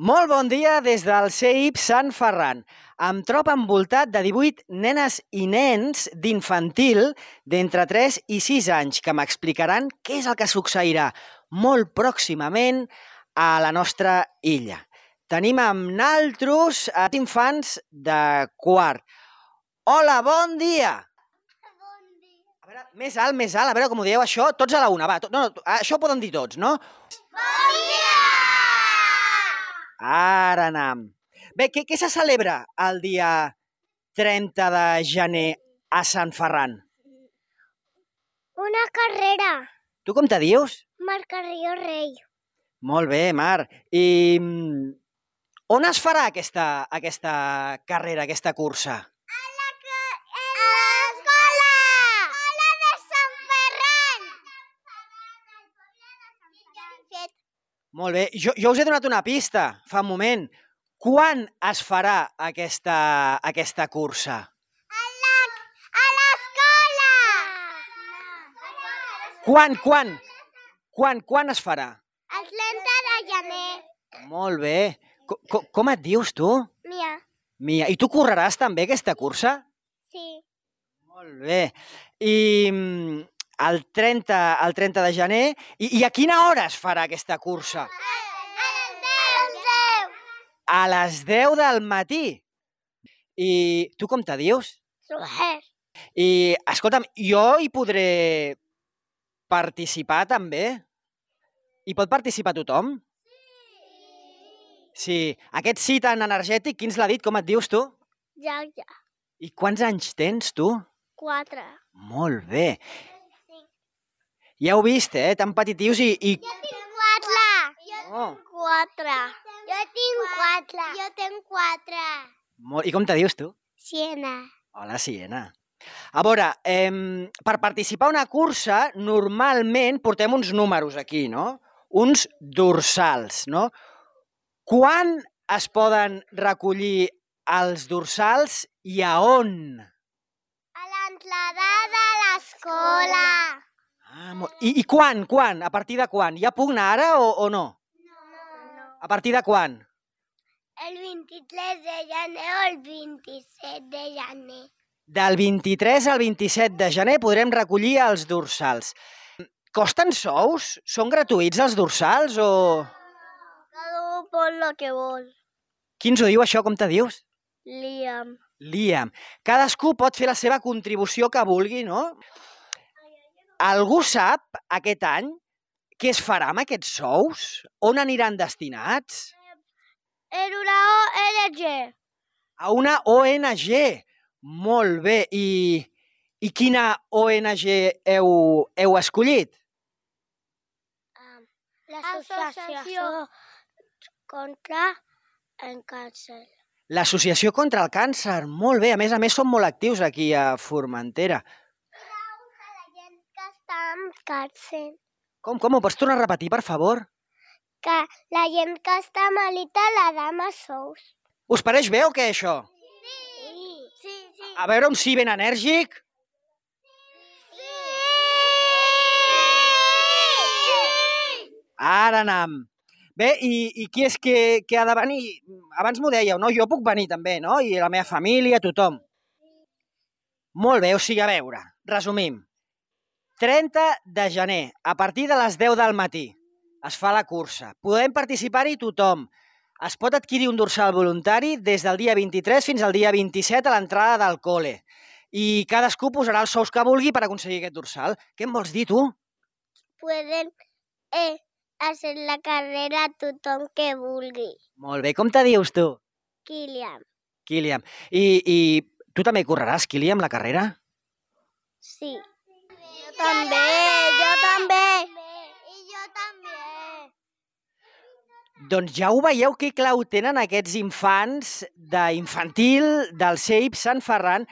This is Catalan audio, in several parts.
Molt bon dia des del CEIP Sant Ferran. Em trobo envoltat de 18 nenes i nens d'infantil d'entre 3 i 6 anys que m'explicaran què és el que succeirà molt pròximament a la nostra illa. Tenim amb naltros infants de quart. Hola, bon dia! Bon dia. A veure, més alt, a veure com ho dieu això, tots a la una, va. No, això ho poden dir tots, no? Bon dia! Ara anam. Bé, què se celebra el dia 30 de gener a Sant Ferran? Una carrera. Tu com te dius? Marc Carrillo Rei. Molt bé, Mar. I on es farà aquesta carrera, aquesta cursa? A l'escola! Escola de Sant Ferran! Molt bé. Jo us he donat una pista fa un moment. Quan es farà aquesta cursa? A l'escola! Quan es farà? El 30 de gener. Molt bé. Com et dius, tu? Mia. Mia. I tu correràs també aquesta cursa? Sí. Molt bé. I el 30 de gener... I a quina hora es farà aquesta cursa? A les 10. A les 10 del matí. I tu com te dius? Roger. I, escolta'm, jo hi podré participar també? Hi pot participar tothom? Sí. Aquest sí tan energètic, qui ens l'ha dit? Com et dius, tu? Ja. I quants anys tens, tu? 4. Molt bé. Ja heu vist, tan petitius i... Jo tinc 4. Oh. 4. Jo tinc 4. Jo tinc 4. I com te dius, tu? Siena. Hola, Siena. A veure, per participar a una cursa, normalment portem uns números aquí, no? Uns dorsals, no? Quan es poden recollir els dorsals i a on? A l'entrada de l'escola. I quan? A partir de quan? Ja puc anar ara o no? No. A partir de quan? El 23 de gener o el 27 de gener. Del 23 al 27 de gener podrem recollir els dorsals. Costen sous? Són gratuïts els dorsals o...? Cada un pot lo que vol. Qui ens ho diu això? Com te dius? Liam. Liam. Cadascú pot fer la seva contribució que vulgui, no? Algú sap aquest any què es farà amb aquests sous? On aniran destinats? En una ONG. A una ONG. Molt bé. I quina ONG heu escollit? L'Associació contra el càncer. L'Associació contra el Càncer. Molt bé. A més, són molt actius aquí a Formentera. La gent que està amb càncer. Com? Ho pots tornar a repetir, per favor? Que la gent que està malita la dama sous. Us pareix bé o què, això? Sí. A veure un sí ben enèrgic. Ara anam. Bé, i qui és que ha de venir? Abans m'ho dèieu, no? Jo puc venir també, no? I la meva família, tothom. Molt bé, o sigui, a veure, resumim. 30 de gener, a partir de les 10 del matí, es fa la cursa. Podem participar-hi tothom. Es pot adquirir un dorsal voluntari des del dia 23 fins al dia 27 a l'entrada del col·le. I cadascú posarà els sous que vulgui per aconseguir aquest dorsal. Què em vols dir, tu? Pueden hacer la carrera tothom que vulgui. Molt bé, com te dius, tu? Kilian. I tu també correràs, Kilian, la carrera? Sí. Jo també. I jo també. Doncs ja ho veieu que clau tenen aquests infants d'infantil del CEIP Sant Ferran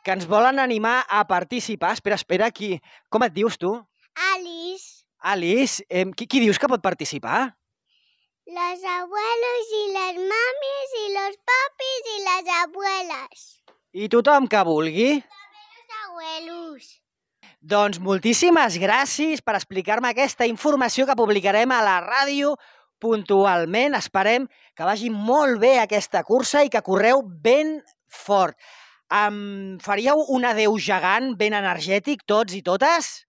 que ens volen animar a participar. Espera, qui? Com et dius, tu? Alice. Alice, qui dius que pot participar? Los abuelos y las mamis y los papis y las abuelas. I tothom que vulgui. Los abuelos. Doncs moltíssimes gràcies per explicar-me aquesta informació que publicarem a la ràdio puntualment. Esperem que vagi molt bé aquesta cursa i que correu ben fort. Em faríeu un adeu gegant, ben energètic, tots i totes?